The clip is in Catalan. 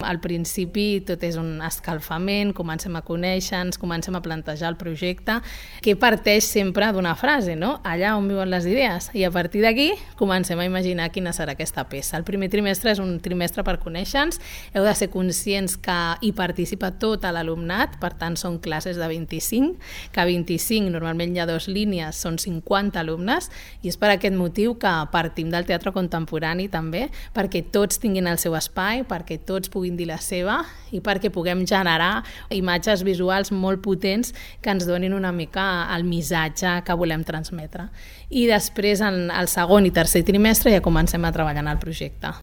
al principi tot és un escalfament, comencem a conèixer-nos, comencem a plantejar el projecte, que parteix sempre d'una frase, no? Allà on viuen les idees. I a partir d'aquí comencem a imaginar quina serà aquesta peça. El primer trimestre és un trimestre per conèixer-nos, heu de ser conscients que hi participa tot l'alumnat, per tant són classes de 25, que 25 normalment hi ha 2 línies, són 50 alumnes, i és per aquest motiu que partim del teatre contemporani també, perquè tots tinguin el seu espai, perquè tots puguin dir la seva i perquè puguem generar imatges visuals molt potents que ens donin una mica el missatge que volem transmetre. I després, en el segon i tercer trimestre, ja comencem a treballar en el projecte.